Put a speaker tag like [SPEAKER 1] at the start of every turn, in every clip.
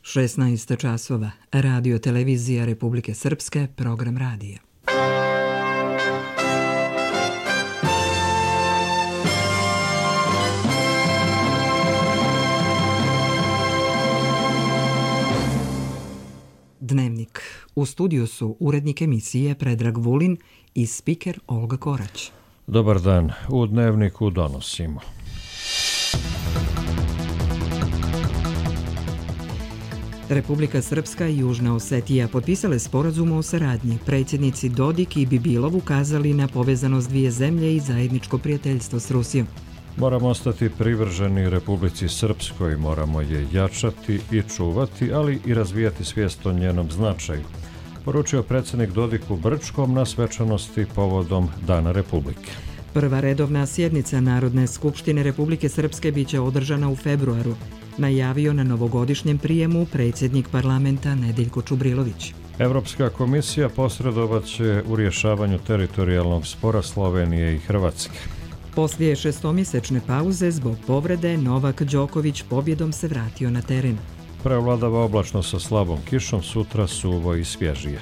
[SPEAKER 1] 16 časova. Radio televizija Republike Srpske, program radija. Dnevnik. U studiju su urednik emisije Predrag Vulin i spiker Olga Korać.
[SPEAKER 2] Dobar dan. U Dnevniku donosimo.
[SPEAKER 1] Republika Srpska i Južna Osetija potpisale sporazum o saradnji. Predsjednici Dodik i Bibilov ukazali na povezanost dvije zemlje i zajedničko prijateljstvo s Rusijom.
[SPEAKER 2] Moramo ostati privrženi Republici Srpskoj, moramo je jačati i čuvati, ali i razvijati svijest o njenom značaju, poručio predsjednik Dodik u Brčkom na svečanosti povodom Dana Republike.
[SPEAKER 1] Prva redovna sjednica Narodne skupštine Republike Srpske biće održana u februaru, najavio na novogodišnjem prijemu predsjednik parlamenta Nedeljko Čubrilović.
[SPEAKER 2] Evropska komisija posredovaće u rješavanju teritorijalnog spora Slovenije i Hrvatske.
[SPEAKER 1] Poslije šestomjesečne pauze zbog povrede, Novak Đoković pobjedom se vratio na teren.
[SPEAKER 2] Prevladava oblačno sa slabom kišom, sutra suvo i svježije.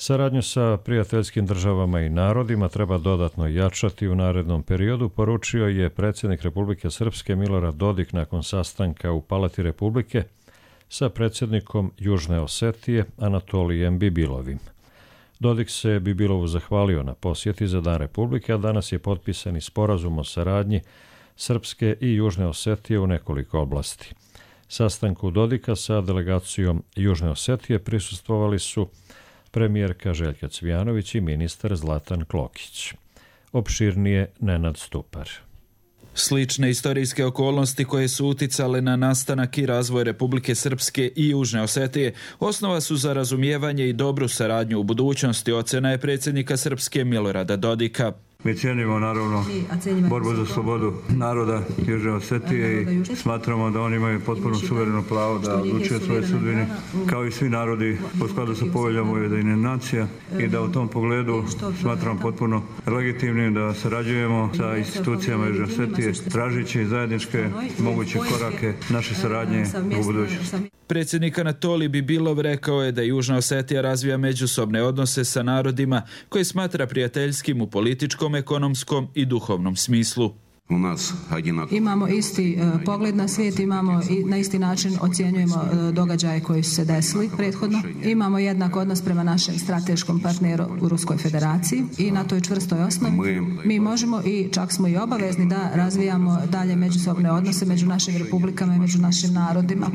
[SPEAKER 2] Saradnju sa prijateljskim državama i narodima treba dodatno jačati u narednom periodu, poručio je predsjednik Republike Srpske Milorad Dodik nakon sastanka u Palati Republike sa predsjednikom Južne Osetije Anatolijem Bibilovim. Dodik se Bibilovu zahvalio na posjeti za Dan Republike, a danas je potpisan i sporazum o saradnji Srpske i Južne Osetije u nekoliko oblasti. Sastanku Dodika sa delegacijom Južne Osetije prisustvovali su premijerka Željka Cvijanović i ministar Zlatan Klokić. Opširnije Nenad Stupar.
[SPEAKER 3] Slične istorijske okolnosti koje su uticale na nastanak i razvoj Republike Srpske i Južne Osetije osnova su za razumijevanje i dobru saradnju u budućnosti, ocjena je predsjednika Srpske Milorada Dodika.
[SPEAKER 4] Mi cijenimo naravno borbu za slobodu naroda Južne Osetije i smatramo da oni imaju potpuno suvereno pravo da odlučuju svoje sudbine kao i svi narodi u skladu sa poveljama Ujedinjenih nacija i da u tom pogledu smatramo potpuno legitimnim da sarađujemo sa institucijama Južne Osetije tražeći zajedničke moguće korake naše saradnje u budućnosti.
[SPEAKER 3] Predsjednik Anatolij Bibilov rekao je da Južna Osetija razvija međusobne odnose sa narodima koje smatra prijateljskim u političkom, ekonomskom i duhovnom smislu.
[SPEAKER 5] Imamo isti pogled na svijet, imamo i na isti način ocjenjujemo događaje koji su se desili prethodno. Imamo jednak odnos prema našem strateškom partneru u Ruskoj federaciji i na toj čvrstoj osnovi mi možemo i čak smo i obavezni da razvijamo dalje međusobne odnose među našim republikama i među našim narodima.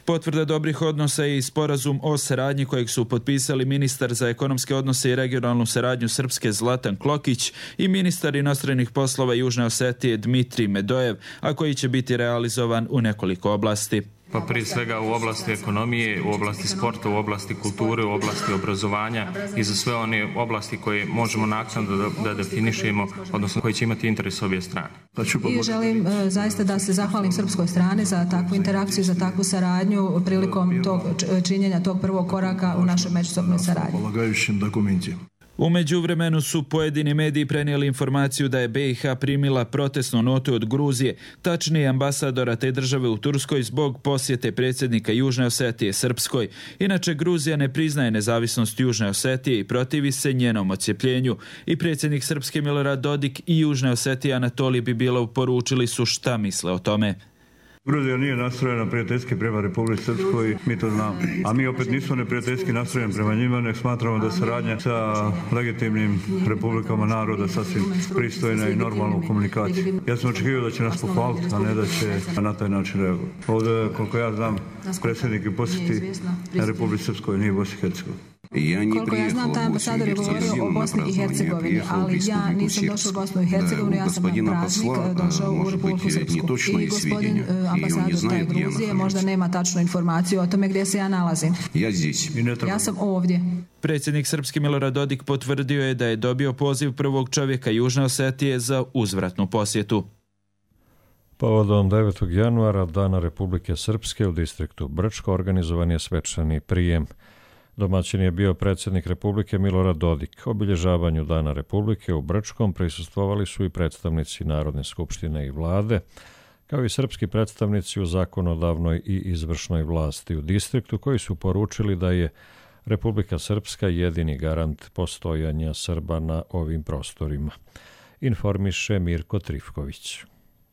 [SPEAKER 3] Potvrda dobrih odnosa je i sporazum o saradnji kojeg su potpisali ministar za ekonomske odnose i regionalnu saradnju Srpske Zlatan Klokić i ministar inostranih poslova Južne Osetije Dmitrij Medojev, a koji će biti realizovan u nekoliko oblasti.
[SPEAKER 6] Pa prije svega u oblasti ekonomije, u oblasti sporta, u oblasti kulture, u oblasti obrazovanja i za sve one oblasti koje možemo naknadno da definišemo, odnosno koji će imati interes obje strane.
[SPEAKER 5] I želim zaista da se zahvalim srpskoj strani za takvu interakciju, za takvu saradnju prilikom tog činjenja tog prvog koraka u našoj međusobnoj saradnji.
[SPEAKER 3] U međuvremenu su pojedini mediji prenijeli informaciju da je BiH primila protestnu notu od Gruzije, tačnije ambasadora te države u Turskoj zbog posjete predsjednika Južne Osetije Srpskoj. Inače, Gruzija ne priznaje nezavisnost Južne Osetije i protivi se njenom odcjepljenju. I predsjednik Srpske Milorad Dodik i Južne Osetije Anatolij Bibilov poručili su šta misle o tome.
[SPEAKER 4] Gruzija nije nastrojena prijateljski prema Republici Srpskoj, mi to znamo. A mi opet nismo neprijateljski nastrojeni prema njima, nek smatramo da saradnja sa legitimnim republikama naroda sasvim pristojna i normalna u komunikaciji. Ja sam očekivao da će nas pohvaliti, a ne da će na taj način reagovati. Ovdje, koliko ja znam, predsjednik je posjeti Republici Srpskoj, nije Bosni i Hercegovini.
[SPEAKER 5] Koliko ja znam, taj ambasador je govorio o Bosni i Hercegovini, ali ja nisam došao u Bosnu i Hercegovinu, ja sam na praznik došao u Republiku Srpsku. I gospodin ambasador taj Gruzije možda nema tačnu informaciju o tome gdje se ja nalazim. Ja sam ovdje.
[SPEAKER 3] Predsjednik Srpski Milorad Dodik potvrdio je da je dobio poziv prvog čovjeka Južne Osetije za uzvratnu posjetu.
[SPEAKER 2] Povodom 9. januara, Dana Republike Srpske u distriktu Brčko, organizovan je svečani prijem. Domaćin je bio predsjednik Republike Milorad Dodik. Obilježavanju Dana Republike u Brčkom prisustvovali su i predstavnici Narodne skupštine i vlade, kao i srpski predstavnici u zakonodavnoj i izvršnoj vlasti u distriktu, koji su poručili da je Republika Srpska jedini garant postojanja Srba na ovim prostorima. Informiše Mirko Trifković.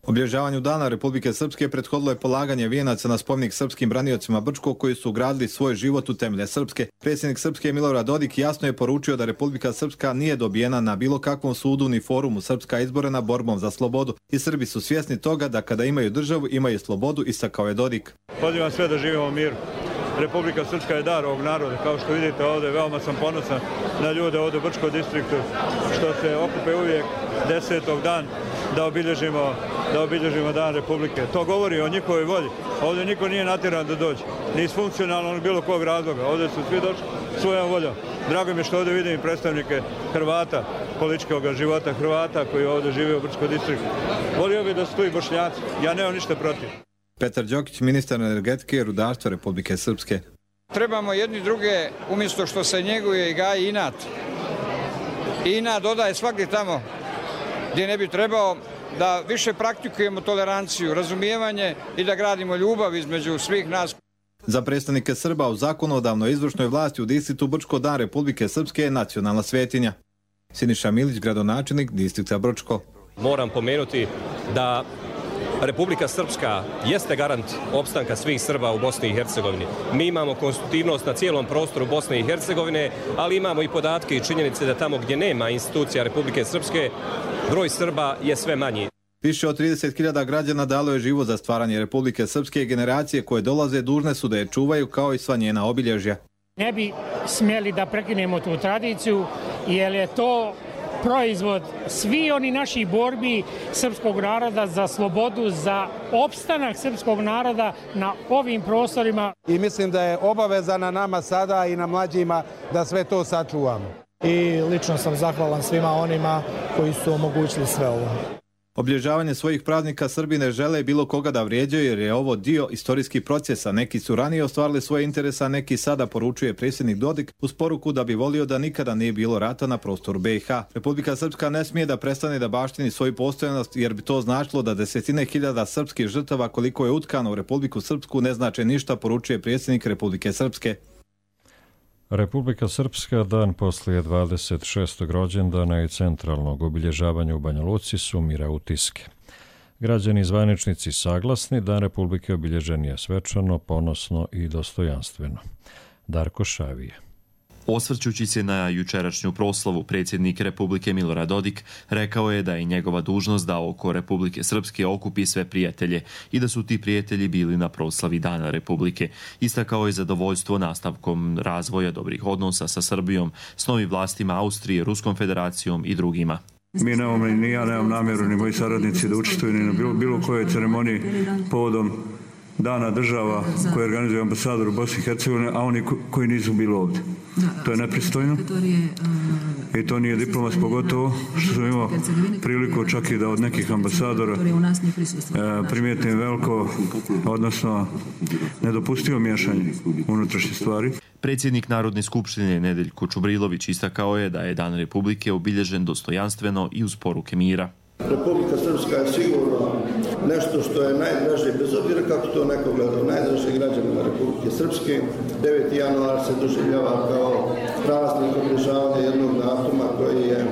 [SPEAKER 7] Obilježavanju Dana Republike Srpske prethodilo je polaganje vijenaca na spomenik srpskim braniocima Brčkog koji su ugradili svoj život u temelje Srpske. Predsjednik Srpske Milorad Dodik jasno je poručio da Republika Srpska nije dobijena na bilo kakvom sudu ni forumu. Srpska izborena borbom za slobodu i Srbi su svjesni toga da kada imaju državu imaju slobodu, istakao je Dodik.
[SPEAKER 4] Pozivam sve da živimo u miru. Republika Srpska je dar ovog naroda. Kao što vidite ovdje, veoma sam ponosan na ljude ovdje u Brčkom distriktu, što se okupe uvijek 10. dan da obilježimo Dan Republike. To govori o njihovoj volji. Ovdje niko nije natjeran da dođe. Ni iz funkcionalnog bilo kog razloga. Ovdje su svi došli svojom voljom. Drago mi je što ovdje vidim predstavnike Hrvata, političkog života Hrvata koji ovdje žive u Brčkom distriktu. Volio bih da su tu i Bošnjaci. Ja nemam ništa protiv.
[SPEAKER 7] Petar Đokić, ministar energetike i rudarstva Republike Srpske.
[SPEAKER 8] Trebamo jedni druge, umjesto što se njeguje i gaji inat. I inat dodaje svakdje tamo gdje ne bi trebao, da više praktikujemo toleranciju, razumijevanje i da gradimo ljubav između svih nas.
[SPEAKER 7] Za predstavnike Srba u zakonodavnoj izvršnoj vlasti u distriktu Brčko Dan Republike Srpske je nacionalna svetinja. Siniša Milić, gradonačelnik distrikta Brčko.
[SPEAKER 9] Moram pomenuti da Republika Srpska jeste garant opstanka svih Srba u Bosni i Hercegovini. Mi imamo konstitutivnost na cijelom prostoru Bosne i Hercegovine, ali imamo i podatke i činjenice da tamo gdje nema institucija Republike Srpske, broj Srba je sve manji.
[SPEAKER 7] Više od 30.000 građana dalo je život za stvaranje Republike Srpske i generacije koje dolaze dužne su da je čuvaju kao i sva njena obilježja.
[SPEAKER 10] Ne bi smjeli da prekinemo tu tradiciju jer je to proizvod svi oni naših borbi srpskog naroda za slobodu, za opstanak srpskog naroda na ovim prostorima.
[SPEAKER 11] I mislim da je obaveza na nama sada i na mlađima da sve to sačuvamo.
[SPEAKER 10] I lično sam zahvalan svima onima koji su omogućili sve ovo.
[SPEAKER 7] Obilježavanje svojih praznika Srbi ne žele bilo koga da vrijeđaju jer je ovo dio istorijskih procesa. Neki su ranije ostvarili svoje interese, a neki sada, poručuje predsjednik Dodik uz poruku da bi volio da nikada nije bilo rata na prostoru BiH. Republika Srpska ne smije da prestane da baštini svoju postojanost jer bi to značilo da desetine hiljada srpskih žrtava koliko je utkano u Republiku Srpsku ne znače ništa, poručuje predsjednik Republike Srpske.
[SPEAKER 2] Republika Srpska dan poslije 26. rođendana i centralnog obilježavanja u Banja Luci sumira utiske. Građani i zvaničnici saglasni, Dan Republike obilježen je svečano, ponosno i dostojanstveno. Darko Šavije.
[SPEAKER 12] Osvrćući se na jučerašnju proslavu, predsjednik Republike Milorad Dodik rekao je da je njegova dužnost da oko Republike Srpske okupi sve prijatelje i da su ti prijatelji bili na proslavi Dana Republike. Istakao je zadovoljstvo nastavkom razvoja dobrih odnosa sa Srbijom, s novim vlastima Austrije, Ruskom federacijom i drugima.
[SPEAKER 4] Mi nemamo, ni ja nemam namjeru, ni moji saradnici da učestvuju ni na bilo kojoj ceremoniji povodom Dana država koje organizuje ambasador u Bosni i Hercegovini, a oni koji nisu bili ovdje. To je nepristojno i to nije diplomat, pogotovo što sam imao priliku čak i da od nekih ambasadora primijetim veliko, odnosno nedopustivo miješanje unutrašnje stvari.
[SPEAKER 12] Predsjednik Narodne skupštine Nedeljko Čubrilović istakao je da je Dan Republike obilježen dostojanstveno i uz poruke mira.
[SPEAKER 13] Republika Srpska je sigurno nešto što je najdraže, bez obzira kako to neko gleda, najdraže građanima Republike Srpske. 9. januar se doživljava kao praznik obilježavanja jednog datuma koji je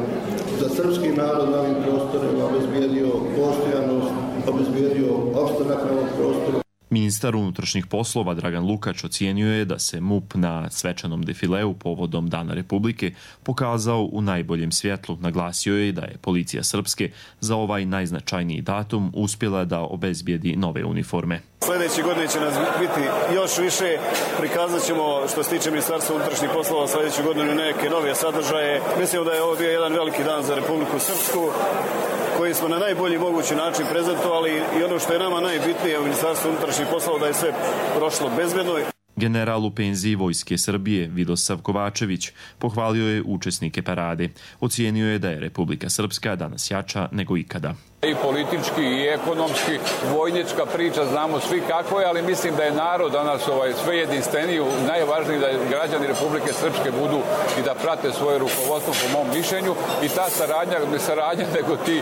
[SPEAKER 13] za srpski narod na ovim prostorima obezbijedio postojanost, obezbijedio opstanak na ovom prostoru.
[SPEAKER 12] Ministar unutrašnjih poslova Dragan Lukač ocijenio je da se MUP na svečanom defileu povodom Dana Republike pokazao u najboljem svjetlu. Naglasio je da je policija Srpske za ovaj najznačajniji datum uspjela da obezbijedi nove uniforme.
[SPEAKER 14] Sljedeće godine će nas biti još više, prikazat ćemo što se tiče Ministarstva unutrašnjih poslova sljedeću godinu neke nove sadržaje. Mislim da je ovo bio jedan veliki dan za Republiku Srpsku koji smo na najbolji mogući način prezentovali i ono što je nama najbitnije u Ministarstvu unutrašnjih poslova da je sve prošlo bezbedno.
[SPEAKER 12] General u penziji Vojske Srbije Vidosav Kovačević pohvalio je učesnike parade. Ocijenio je da je Republika Srpska danas jača nego ikada.
[SPEAKER 15] I politički i ekonomski, vojnička priča, znamo svi kako je, ali mislim da je narod danas sve jedinstveniji, najvažnije da građani Republike Srpske budu i da prate svoje rukovodstvo po mom mišljenju i ta saradnja, ne saradnja, nego ti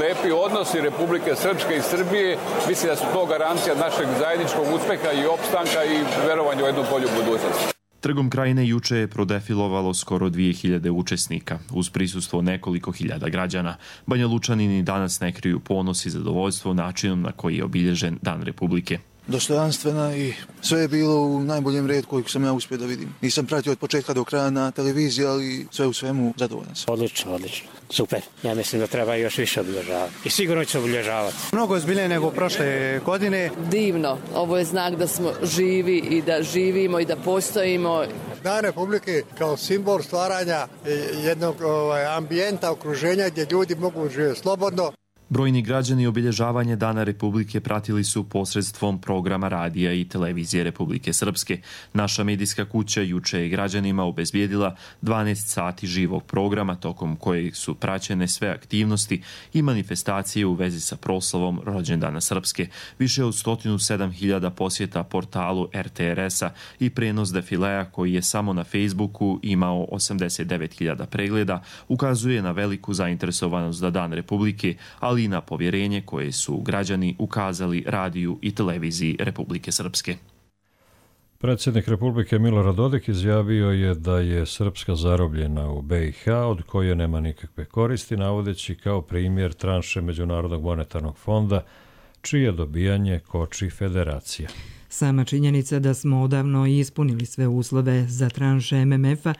[SPEAKER 15] lepi odnosi Republike Srpske i Srbije, mislim da su to garancija našeg zajedničkog uspeha i opstanka i verovanja u jednu bolju budućnost.
[SPEAKER 12] Trgom Krajine juče je prodefilovalo skoro 2000 učesnika, uz prisustvo nekoliko hiljada građana. Banja Lučanini danas ne kriju ponos i zadovoljstvo načinom na koji je obilježen Dan Republike.
[SPEAKER 16] Dostojanstvena i sve je bilo u najboljem redu kojeg sam ja uspio da vidim. Nisam pratio od početka do kraja na televiziji, ali sve u svemu zadovoljan sam.
[SPEAKER 17] Odlično. Super. Ja mislim da treba još više obilježavati. I sigurno će obilježavati.
[SPEAKER 18] Mnogo je zbiljnije nego prošle godine.
[SPEAKER 19] Divno. Ovo je znak da smo živi i da živimo i da postojimo.
[SPEAKER 20] Dan Republike kao simbol stvaranja jednog ambijenta, okruženja gdje ljudi mogu živjeti slobodno.
[SPEAKER 12] Brojni građani obilježavanje Dana Republike pratili su posredstvom programa radija i televizije Republike Srpske. Naša medijska kuća juče je građanima obezbijedila 12 sati živog programa tokom kojeg su praćene sve aktivnosti i manifestacije u vezi sa proslavom rođendana Srpske. Više od 107.000 posjeta portalu RTRS-a i prenos defilea koji je samo na Facebooku imao 89.000 pregleda ukazuje na veliku zainteresovanost za Dan Republike, ali i na povjerenje koje su građani ukazali radiju i televiziji Republike Srpske.
[SPEAKER 2] Predsjednik Republike Milorad Dodik izjavio je da je Srpska zarobljena u BiH, od koje nema nikakve koristi, navodeći kao primjer tranše Međunarodnog monetarnog fonda, čije dobijanje koči federacija.
[SPEAKER 1] Sama činjenica da smo odavno ispunili sve uslove za tranše MMF-a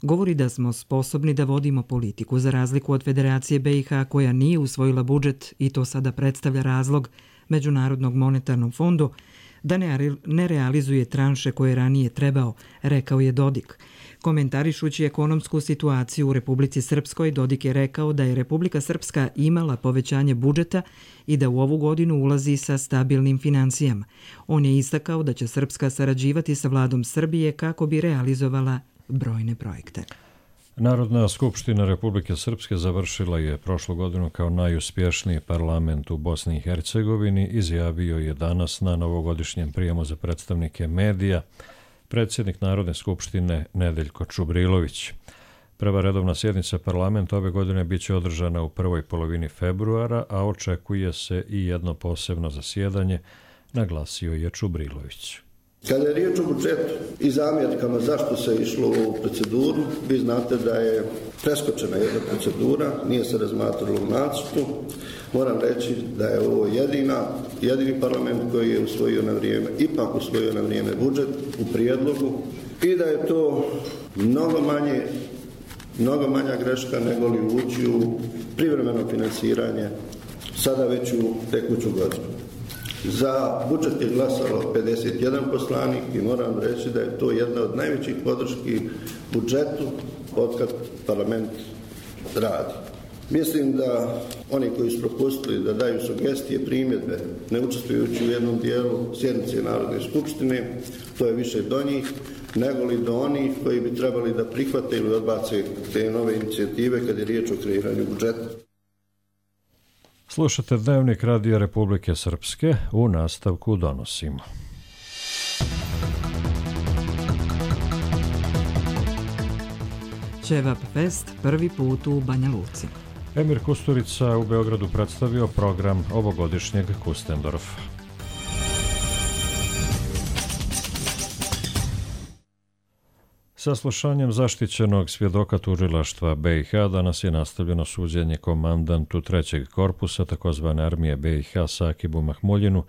[SPEAKER 1] govori da smo sposobni da vodimo politiku, za razliku od Federacije BiH koja nije usvojila budžet i to sada predstavlja razlog Međunarodnog monetarnom fondu da ne realizuje tranše koje je ranije trebao, rekao je Dodik. Komentarišući ekonomsku situaciju u Republici Srpskoj, Dodik je rekao da je Republika Srpska imala povećanje budžeta i da u ovu godinu ulazi sa stabilnim financijama. On je istakao da će Srpska sarađivati sa vladom Srbije kako bi realizovala brojne projekte.
[SPEAKER 2] Narodna skupština Republike Srpske završila je prošlu godinu kao najuspješniji parlament u Bosni i Hercegovini, izjavio je danas na novogodišnjem prijemu za predstavnike medija predsjednik Narodne skupštine Nedeljko Čubrilović. Prva redovna sjednica parlamenta ove godine biće održana u prvoj polovini februara, a očekuje se i jedno posebno zasjedanje, naglasio je Čubrilović.
[SPEAKER 13] Kada je riječ o budžetu i zamjerkama zašto se išlo u proceduru, vi znate da je preskočena jedna procedura, nije se razmatralo u nacrtu. Moram reći da je ovo jedini parlament koji je ipak usvojio na vrijeme budžet u prijedlogu i da je to mnogo manja greška nego li ući u privremeno financiranje sada već u tekuću godinu. Za budžet je glasalo 51 poslanik i moram reći da je to jedna od najvećih podrški budžetu otkad parlament radi. Mislim da oni koji su propustili da daju sugestije, primjedbe, ne učestvujući u jednom dijelu sjednice Narodne skupštine, to je više do njih nego li do onih koji bi trebali da prihvate ili odbace te nove inicijative kad je riječ o kreiranju budžeta.
[SPEAKER 2] Slušate Dnevnik Radija Republike Srpske, u nastavku donosimo.
[SPEAKER 1] Ćevap Fest prvi put u Banja Luci.
[SPEAKER 2] Emir Kusturica u Beogradu predstavio program ovogodišnjeg Kustendorfa. Saslušanjem zaštićenog svjedoka tužilaštva BiH danas je nastavljeno suđenje komandantu 3. korpusa takozvane armije BiH Sakibu Mahmuljinu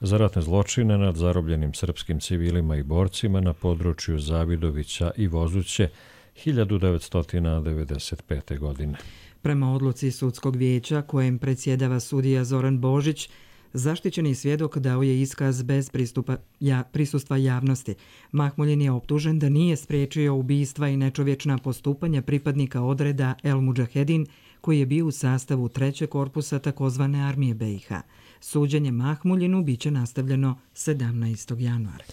[SPEAKER 2] za ratne zločine nad zarobljenim srpskim civilima i borcima na području Zavidovića i Vozuće 1995. godine.
[SPEAKER 1] Prema odluci sudskog vijeća kojem predsjedava sudija Zoran Božić, zaštićeni svjedok dao je iskaz bez prisustva javnosti. Mahmuljin je optužen da nije spriječio ubistva i nečovječna postupanja pripadnika odreda El Mudžahedin koji je bio u sastavu 3. korpusa takozvane armije BiH. Suđenje Mahmuljinu biće nastavljeno 17. januara.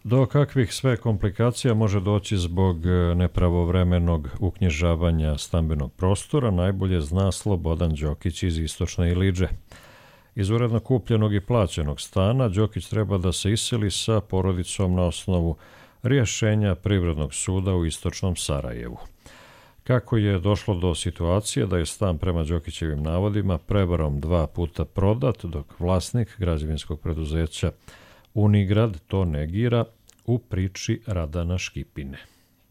[SPEAKER 2] Do kakvih sve komplikacija može doći zbog nepravovremenog uknjižavanja stambenog prostora, najbolje zna Slobodan Đokić iz Istočne Ilidže. Iz uredno kupljenog i plaćenog stana Đokić treba da se iseli sa porodicom na osnovu rješenja Privrednog suda u Istočnom Sarajevu. Kako je došlo do situacije da je stan prema Đokićevim navodima prevarom 2 puta prodat, dok vlasnik građevinskog preduzeća Unigrad to negira u priči Radana Škipine.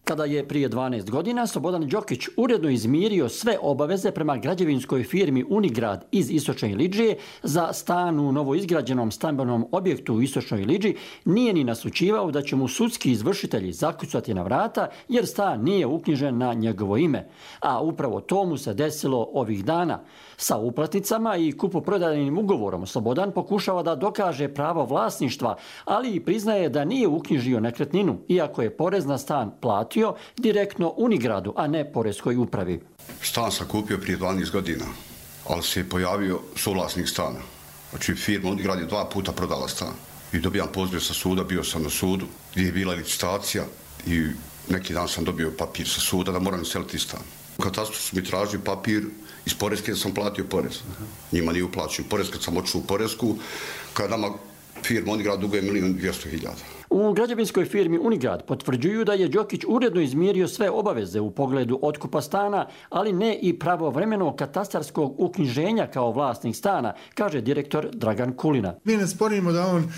[SPEAKER 21] Kada je prije 12 godina Slobodan Đokić uredno izmirio sve obaveze prema građevinskoj firmi Unigrad iz Istočne Ilidže za stan u novoizgrađenom stambenom objektu u Istočnoj Ilidži, nije ni naslućivao da će mu sudski izvršitelji zakucati na vrata jer stan nije uknjižen na njegovo ime. A upravo to mu se desilo ovih dana. Sa uplatnicama i kupoprodajnim ugovorom Slobodan pokušava da dokaže pravo vlasništva, ali i priznaje da nije uknjižio nekretninu, iako je porez na stan platio direktno Unigradu, a ne poreskoj upravi.
[SPEAKER 22] Stan sam kupio prije 12 godina, ali se je pojavio suvlasnik stana. Znači firma Unigrad je 2 puta prodala stan. I dobijam poziv sa suda, bio sam na sudu gdje je bila licitacija i neki dan sam dobio papir sa suda da moram seliti stan. U katastru su mi tražili papir iz poreske, sam platio porez. Njima nije uplaćen porez kad sam otišao u poresku, kada nama firma Unigrad duguje 1.200.000.
[SPEAKER 21] U građevinskoj firmi Unigrad potvrđuju da je Đokić uredno izmirio sve obaveze u pogledu otkupa stana, ali ne i pravovremenog katastarskog uknjiženja kao vlasnik stana, kaže direktor Dragan Kulina.
[SPEAKER 23] Mi ne sporimo da on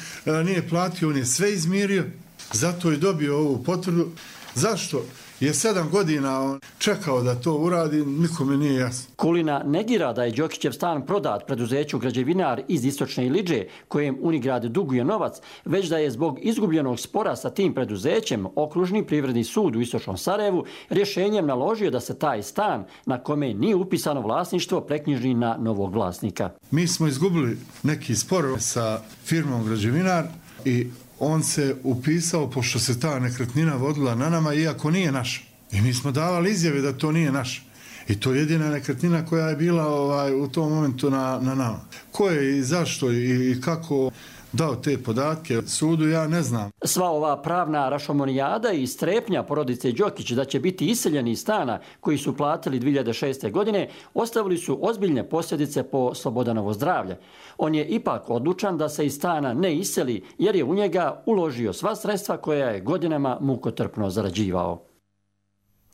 [SPEAKER 23] nije platio, on je sve izmirio, zato je dobio ovu potvrdu. Zašto je 7 godina on čekao da to uradi, nikome nije jasno.
[SPEAKER 21] Kulina negira da je Đokićev stan prodat preduzeću Građevinar iz Istočne Ilidže, kojem Unigrad duguje novac, već da je zbog izgubljenog spora sa tim preduzećem Okružni privredni sud u Istočnom Sarajevu rješenjem naložio da se taj stan, na kome nije upisano vlasništvo, preknjiži na novog vlasnika.
[SPEAKER 23] Mi smo izgubili neki spor sa firmom Građevinar i on se upisao, pošto se ta nekretnina vodila na nama, iako nije naša. I mi smo davali izjave da to nije naša. I to je jedina nekretnina koja je bila u tom momentu na nama. Ko je i zašto i kako dao te podatke sudu, ja ne znam.
[SPEAKER 21] Sva ova pravna rašomonijada i strepnja porodice Đokić da će biti iseljeni iz stana koji su platili 2006. godine ostavili su ozbiljne posljedice po Slobodanovo zdravlje. On je ipak odlučan da se iz stana ne iseli jer je u njega uložio sva sredstva koja je godinama mukotrpno zarađivao.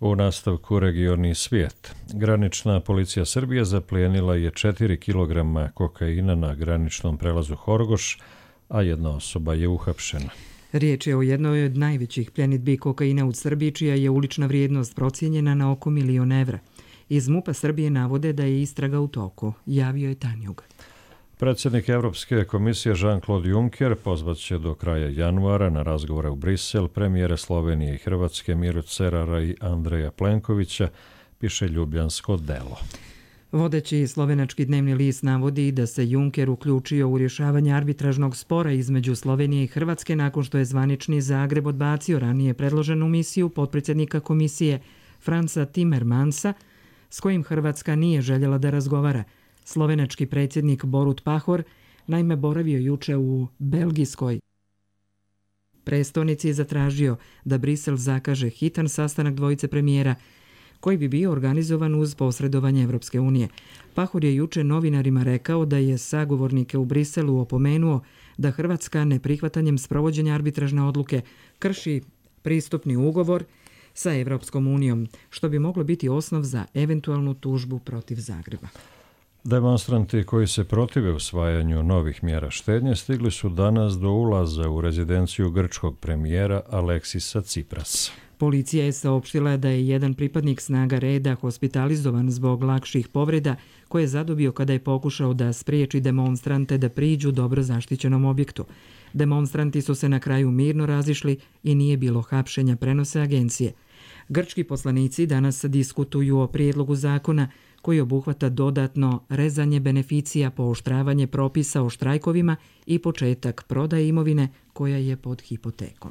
[SPEAKER 2] U nastavku regionalni svijet. Granična policija Srbije zaplijenila je 4 kg kokaina na graničnom prelazu Horgoš, a jedna osoba je uhapšena.
[SPEAKER 1] Riječ je o jednoj od najvećih pljenidbi kokaina u Srbiji, čija je ulična vrijednost procijenjena na oko 1 milion evra. Iz MUP-a Srbije navode da je istraga u toku, javio je Tanjug.
[SPEAKER 2] Predsjednik Evropske komisije Jean-Claude Juncker pozvaće do kraja januara na razgovore u Brisel premijere Slovenije i Hrvatske Miro Cerara i Andreja Plenkovića, piše Ljubljansko delo.
[SPEAKER 1] Vodeći slovenački dnevni list navodi da se Juncker uključio u rješavanje arbitražnog spora između Slovenije i Hrvatske nakon što je zvanični Zagreb odbacio ranije predloženu misiju potpredsjednika komisije Franza Timmermansa, s kojim Hrvatska nije željela da razgovara. Slovenački predsjednik Borut Pahor naime boravio juče u belgijskoj prestonici i zatražio da Brisel zakaže hitan sastanak dvojice premijera koji bi bio organizovan uz posredovanje Evropske unije. Pahor je juče novinarima rekao da je sagovornike u Briselu opomenuo da Hrvatska neprihvatanjem sprovođenja arbitražne odluke krši pristupni ugovor sa Evropskom unijom, što bi moglo biti osnov za eventualnu tužbu protiv Zagreba.
[SPEAKER 2] Demonstranti koji se protive usvajanju novih mjera štednje stigli su danas do ulaza u rezidenciju grčkog premijera Aleksisa Ciprasa.
[SPEAKER 1] Policija je saopštila da je jedan pripadnik snaga reda hospitalizovan zbog lakših povreda koje je zadobio kada je pokušao da spriječi demonstrante da priđu dobro zaštićenom objektu. Demonstranti su se na kraju mirno razišli i nije bilo hapšenja, prenose agencije. Grčki poslanici danas diskutuju o prijedlogu zakona koji obuhvata dodatno rezanje beneficija, pooštravanje propisa o štrajkovima i početak prodaje imovine koja je pod hipotekom.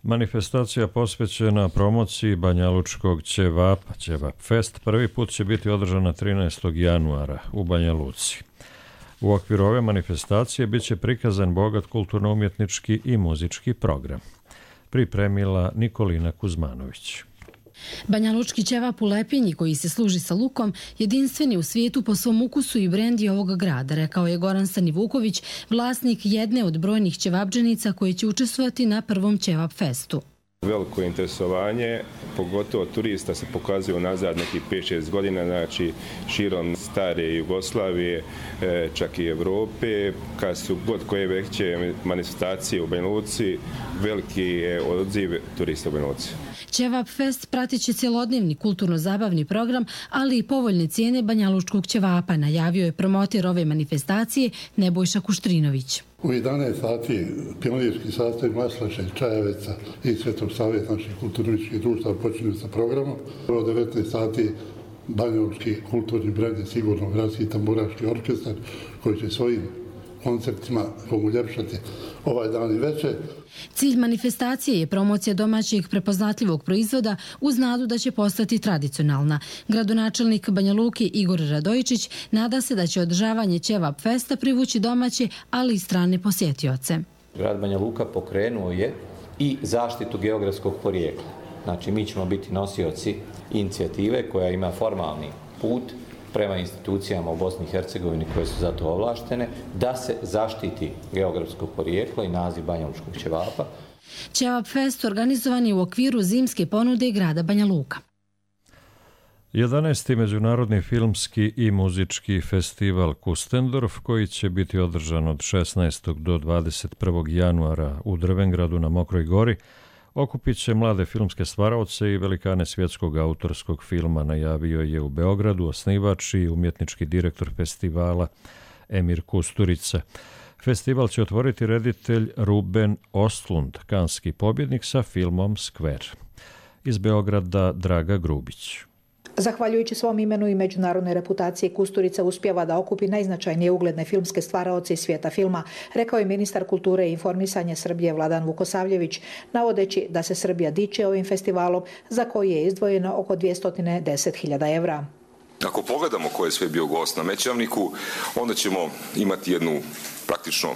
[SPEAKER 2] Manifestacija posvećena promociji banjalučkog ćevapa, Ćevap Fest, prvi put će biti održana 13. januara u Banja Luci. U okviru ove manifestacije bit će prikazan bogat kulturno-umjetnički i muzički program. Pripremila Nikolina Kuzmanović.
[SPEAKER 3] Banjalučki ćevap u Lepinji, koji se služi sa lukom, jedinstveni u svijetu po svom ukusu i brendi ovog grada, rekao je Goran Stanivuković, vlasnik jedne od brojnih ćevapdženica koji će učestvovati na prvom ćevap festu.
[SPEAKER 5] Veliko interesovanje, pogotovo turista se pokazuje unazad nekih 5-6 godina, znači širom stare Jugoslavije, čak i Evrope, kad su god koje veće manifestacije u Banja Luci, veliki je odziv turista u Banja Luci.
[SPEAKER 3] Ćevap fest pratit će cjelodnevni kulturno-zabavni program, ali i povoljne cijene banjalučkog ćevapa, najavio je promoter ove manifestacije Nebojša Kuštrinović.
[SPEAKER 6] U 11 sati pionirski sastav Maslaša i Čajeveca i Svetog Savjeta naših kulturničkih društava počinju sa programom. U 19 sati banjalučki kulturni brend je sigurno gradski tamburaški orkestar koji će svojim koncertima uljepšati ovaj dan i večer.
[SPEAKER 3] Cilj manifestacije je promocija domaćeg prepoznatljivog proizvoda uz nadu da će postati tradicionalna. Gradonačelnik Banja Luke Igor Radojičić nada se da će održavanje ćevap festa privući domaće, ali i strane posjetioce.
[SPEAKER 24] Grad Banja Luka pokrenuo je i zaštitu geografskog porijekla. Znači, mi ćemo biti nosioci inicijative koja ima formalni put prema institucijama u Bosni i Hercegovini koje su za to ovlaštene, da se zaštiti geografsko porijeklo i naziv banjalučkog ćevapa.
[SPEAKER 3] Ćevap fest organizovan je u okviru zimske ponude grada Banja Luka.
[SPEAKER 2] 11. međunarodni filmski i muzički festival Kustendorf, koji će biti održan od 16. do 21. januara u Drvengradu na Mokroj gori, okupit će mlade filmske stvaraoce i velikane svjetskog autorskog filma, najavio je u Beogradu osnivač i umjetnički direktor festivala Emir Kusturica. Festival će otvoriti reditelj Ruben Ostlund, kanski pobjednik sa filmom Skver. Iz Beograda Draga Grubić.
[SPEAKER 25] Zahvaljujući svom imenu i međunarodnoj reputaciji, Kusturica uspijeva da okupi najznačajnije ugledne filmske stvaraoce iz svijeta filma, rekao je ministar kulture i informisanja Srbije Vladan Vukosavljević, navodeći da se Srbija diče ovim festivalom za koji je izdvojeno oko 210.000 evra.
[SPEAKER 26] Ako pogledamo ko je sve bio gost na Mećavniku, onda ćemo imati jednu praktično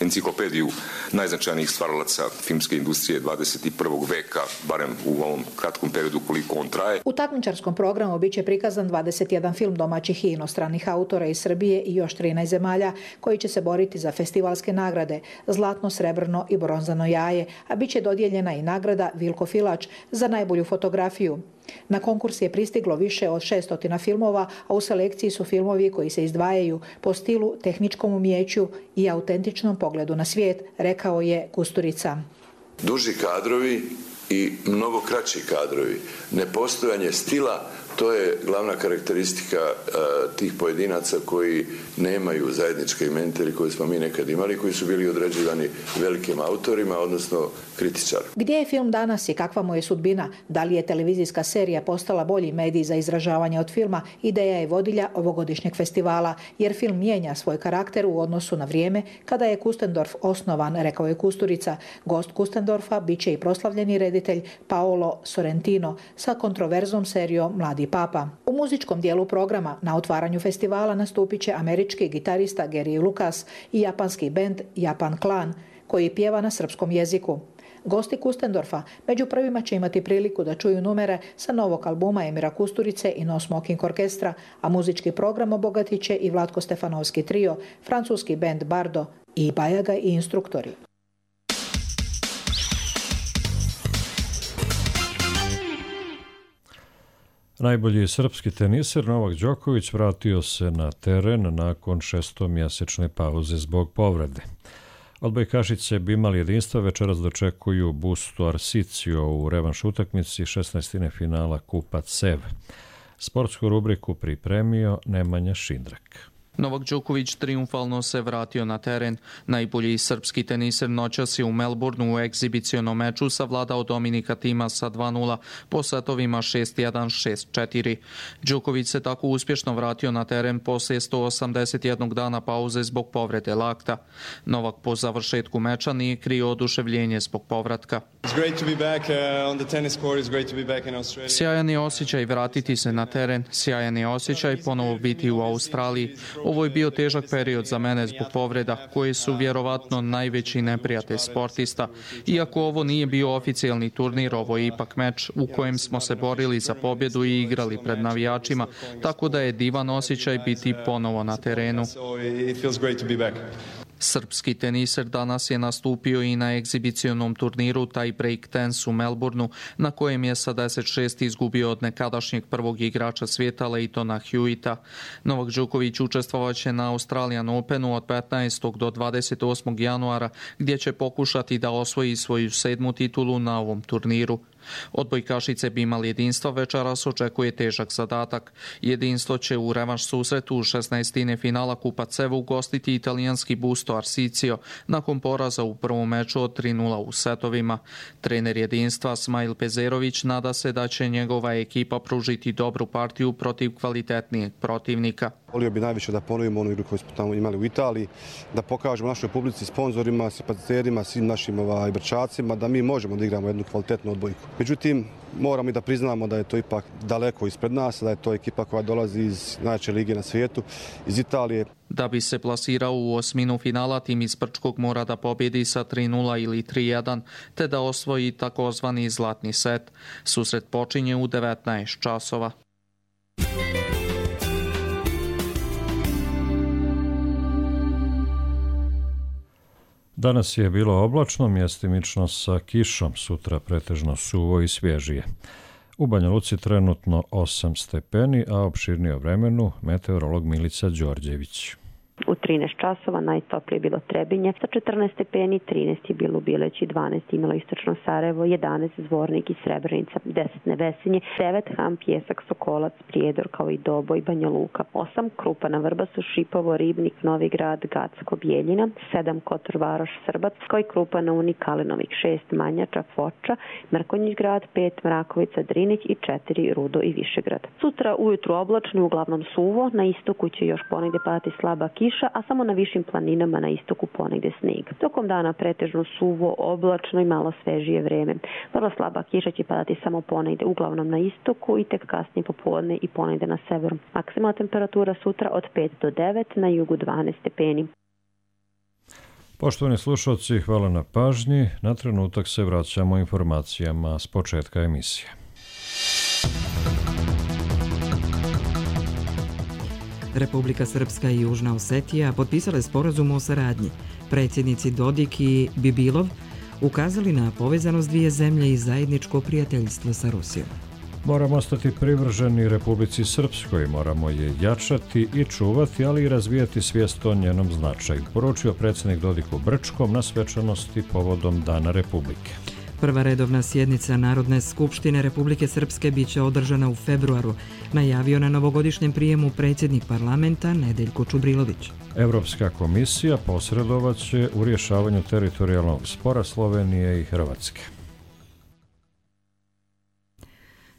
[SPEAKER 26] enciklopediju najznačajnijih stvaralaca filmske industrije 21. veka, barem u ovom kratkom periodu koliko on traje.
[SPEAKER 25] U takmičarskom programu biće prikazan 21 film domaćih i inostranih autora iz Srbije i još 13 zemalja koji će se boriti za festivalske nagrade zlatno, srebrno i bronzano jaje, a biće dodijeljena i nagrada Vilko Filač za najbolju fotografiju. Na konkurs je pristiglo više od 600 filmova, a u selekciji su filmovi koji se izdvajaju po stilu, tehničkom umijeću i autentičnom pogledu na svijet, rekao je Kusturica.
[SPEAKER 27] Duži kadrovi i mnogo kraći kadrovi, nepostojanje stila, to je glavna karakteristika tih pojedinaca koji nemaju zajedničke imenitelji koje smo mi nekad imali, koji su bili određivani velikim autorima, odnosno kritičarima.
[SPEAKER 25] Gdje je film danas i kakva mu je sudbina? Da li je televizijska serija postala bolji medij za izražavanje od filma? Ideja je vodilja ovogodišnjeg festivala, jer film mijenja svoj karakter u odnosu na vrijeme kada je Kustendorf osnovan, rekao je Kusturica. Gost Kustendorfa bit će i proslavljeni reditelj Paolo Sorrentino sa kontroverznom serijom Mladi Papa. U muzičkom dijelu programa na otvaranju festivala nastupit će američki gitarista Gary Lucas i japanski bend Japan Clan, koji pjeva na srpskom jeziku. Gosti Kustendorfa među prvima će imati priliku da čuju numere sa novog albuma Emira Kusturice i No Smoking Orkestra, a muzički program obogatit će i Vlatko Stefanovski trio, francuski bend Bardo i Bajaga i Instruktori.
[SPEAKER 2] Najbolji srpski teniser Novak Đoković vratio se na teren nakon 6-mjesečne pauze zbog povrede. Odbojkašice bi imali jedinstva, večeras dočekuju Bustu Arsicio u revanš utakmici 16. finala Kupa CEV. Sportsku rubriku pripremio Nemanja Šindrak.
[SPEAKER 28] Novak Đoković triumfalno se vratio na teren. Najbolji srpski teniser noćas je u Melbourneu u egzibicionom meču savladao Dominika Tima sa 2-0 po setovima 6-1, 6-4. Đoković se tako uspješno vratio na teren poslije 181 dana pauze zbog povrede lakta. Novak po završetku meča nije krio oduševljenje zbog povratka. Sjajan je osjećaj vratiti se na teren, sjajan je osjećaj ponovo biti u Australiji. Ovo je bio težak period za mene zbog povreda, koji su vjerovatno najveći neprijatelj sportista. Iako ovo nije bio oficijalni turnir, ovo je ipak meč u kojem smo se borili za pobjedu i igrali pred navijačima, tako da je divan osjećaj biti ponovo na terenu. Srpski teniser danas je nastupio i na egzibicionom turniru Tie Break Tennis u Melbourneu, na kojem je sa 10-6 izgubio od nekadašnjeg prvog igrača svijeta Leightona Hewita. Novak Đoković učestvovaće na Australian Openu od 15. do 28. januara, gdje će pokušati da osvoji svoju 7. titulu na ovom turniru. Odbojkašice bi imali jedinstva, večeras očekuje težak zadatak. Jedinstvo će u revanš susretu u 16. finala Kupa CEV ugostiti italijanski Busto Arsicio nakon poraza u prvom meču od 3:0 u setovima. Trener jedinstva Smajl Pezerović nada se da će njegova ekipa pružiti dobru partiju protiv kvalitetnijeg protivnika.
[SPEAKER 4] Volio bi najviše da ponovimo onu igru koju smo tamo imali u Italiji, da pokažemo našoj publici, sponzorima, simpatizerima, svim našim brčacima da mi možemo da igramo jednu kvalitetnu odbojku. Međutim, moramo i da priznamo da je to ipak daleko ispred nas, da je to ekipa koja dolazi iz najjače lige na svijetu, iz Italije.
[SPEAKER 28] Da bi se plasirao u osminu finala, tim iz Brčkog mora da pobjedi sa 3:0 ili 3:1, te da osvoji takozvani zlatni set. Susret počinje u 19 časova.
[SPEAKER 2] Danas je bilo oblačno, mjestimično sa kišom, sutra pretežno suvo i svježije. U Banja Luci trenutno 8 stepeni, a opširnije o vremenu meteorolog Milica Đorđević.
[SPEAKER 7] U 13 časova najtoplije bilo Trebinje sa 14 stepeni, 13 je bilo u Bileći, 12 imalo Istočno Sarajevo, 11 Zvornik i Srebrenica, 10 Nevesinje, 9 Ham, Pjesak, Sokolac, Prijedor kao i Doboj, Banja Luka, 8 Krupana, Vrbasu, Šipovo, Ribnik, Novi Grad, Gacko, Bijeljina, 7 Kotor, Varoš, Srbac, kao i Krupana, Uni, Kalinovik, 6 Manjača, Foča, Mrkonjić grad, 5 Mrakovica, Drinić i 4 Rudo i Višegrad. Sutra ujutru oblačno, uglavnom suvo, na istoku će još ponegdje padati slaba kiša, a samo na višim planinama na istoku ponegdje snijeg. Tokom dana pretežno suvo, oblačno i malo svežije vreme. Vrlo slaba kiša će padati samo ponegdje, uglavnom na istoku i tek kasnije popodne i ponegdje na severu. Maksimalna temperatura sutra od 5 do 9, na jugu 12 stepeni.
[SPEAKER 2] Poštovani slušalci, hvala na pažnji. Na trenutak se vraćamo informacijama s početka emisije.
[SPEAKER 1] Republika Srpska i Južna Osetija potpisale sporazum o saradnji. Predsjednici Dodik i Bibilov ukazali na povezanost dvije zemlje i zajedničko prijateljstvo sa Rusijom.
[SPEAKER 2] Moramo ostati privrženi Republici Srpskoj, moramo je jačati i čuvati, ali i razvijati svijest o njenom značaju, poručio predsjednik Dodik u Brčkom na svečanosti povodom Dana Republike.
[SPEAKER 1] Prva redovna sjednica Narodne skupštine Republike Srpske biće održana u februaru, najavio na novogodišnjem prijemu predsjednik parlamenta Nedeljko Čubrilović.
[SPEAKER 2] Evropska komisija posredovaće u rješavanju teritorijalnog spora Slovenije i Hrvatske.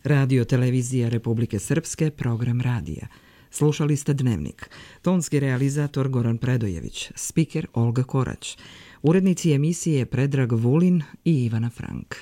[SPEAKER 1] Radio televizija Republike Srpske, program radija. Slušali ste Dnevnik. Tonski realizator Goran Predojević, spiker Olga Korać. Urednici emisije Predrag Vulin i Ivana Frank.